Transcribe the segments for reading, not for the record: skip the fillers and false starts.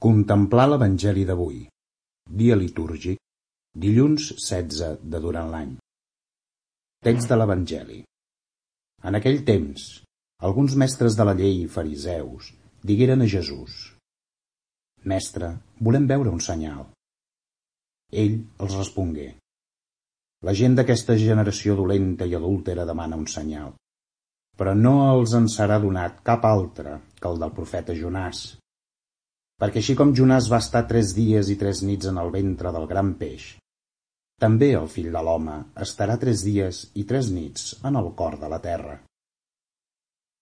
Contemplar l'Evangeli d'avui, dia litúrgic, dilluns 16 de durant l'any. Text de l'Evangeli. En aquell temps, alguns mestres de la llei i fariseus digueren a Jesús: «Mestre, volem veure un senyal». Ell els respongué: «La gent d'aquesta generació dolenta i adúltera demana un senyal, però no els en serà donat cap altre que el del profeta Jonàs. Perquè així com Jonàs va estar 3 dies i 3 nits en el ventre del gran peix, també el Fill de l'Home estarà 3 dies i 3 nits en el cor de la terra.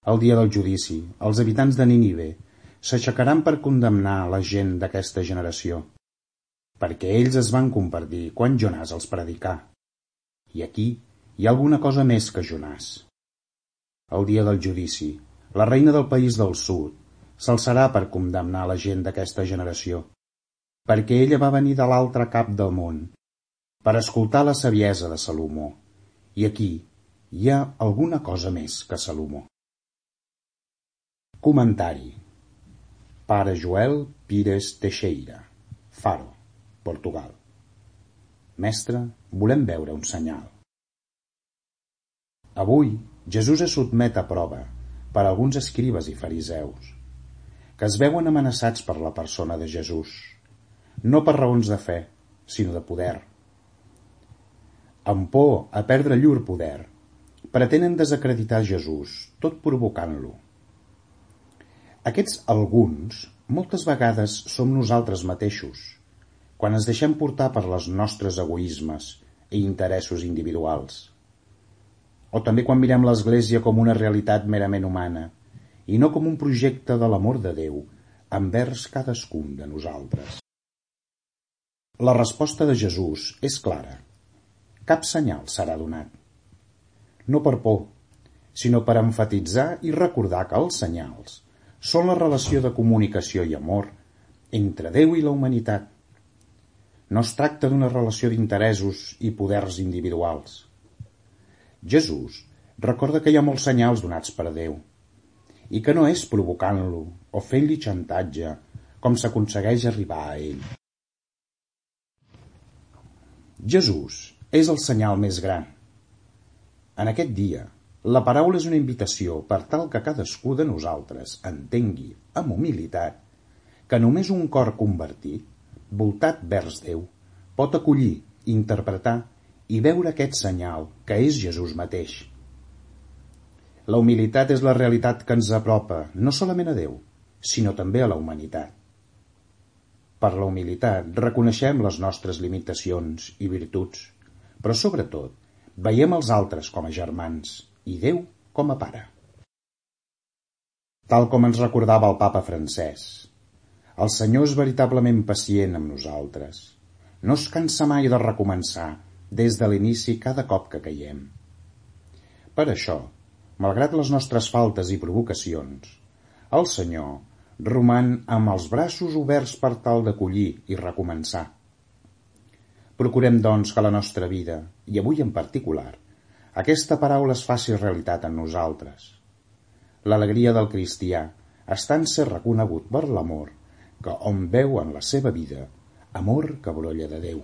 El dia del judici, els habitants de Nínive s'aixecaran per condemnar la gent d'aquesta generació, perquè ells es van compartir quan Jonàs els predicà. I aquí hi ha alguna cosa més que Jonàs. El dia del judici, la reina del país del sud s'alçarà per condemnar la gent d'aquesta generació, perquè ella va venir de l'altre cap del món per escoltar la saviesa de Salomó, i aquí hi ha alguna cosa més que Salomó. Comentari. Pare Joel Pires Teixeira, Faro, Portugal. Mestre, volem veure un senyal. Avui, Jesús es sotmet a prova per alguns escribes i fariseus, que es veuen amenaçats per la persona de Jesús, no per raons de fe, sinó de poder. Amb por a perdre llur poder, pretenen desacreditar Jesús, tot provocant-lo. Aquests alguns moltes vegades som nosaltres mateixos, quan ens deixem portar per les nostres egoismes i interessos individuals. O també quan mirem l'Església com una realitat merament humana i no com un projecte de l'amor de Déu envers cadascun de nosaltres. La resposta de Jesús és clara. Cap senyal serà donat. No per por, sinó per emfatitzar i recordar que els senyals són la relació de comunicació i amor entre Déu i la humanitat. No es tracta d'una relació d'interessos i poders individuals. Jesús recorda que hi ha molts senyals donats per Déu i que no és provocant-lo o fent-li xantatge com s'aconsegueix arribar a ell. Jesús és el senyal més gran. En aquest dia, la paraula és una invitació per tal que cadascú de nosaltres entengui amb humilitat que només un cor convertit, voltat vers Déu, pot acollir, interpretar i veure aquest senyal que és Jesús mateix. La humilitat és la realitat que ens apropa no solament a Déu, sinó també a la humanitat. Per la humilitat reconeixem les nostres limitacions i virtuts, però sobretot veiem els altres com a germans i Déu com a Pare. Tal com ens recordava el Papa Francès, el Senyor és veritablement pacient amb nosaltres. No es cansa mai de recomençar des de l'inici cada cop que caiem. Per això, malgrat les nostres faltes i provocacions, el Senyor roman amb els braços oberts per tal d'acollir i recomençar. Procurem, doncs, que la nostra vida, i avui en particular, aquesta paraula es faci realitat en nosaltres. L'alegria del cristià està en ser reconegut per l'amor que hom veu en la seva vida, amor que brolla de Déu.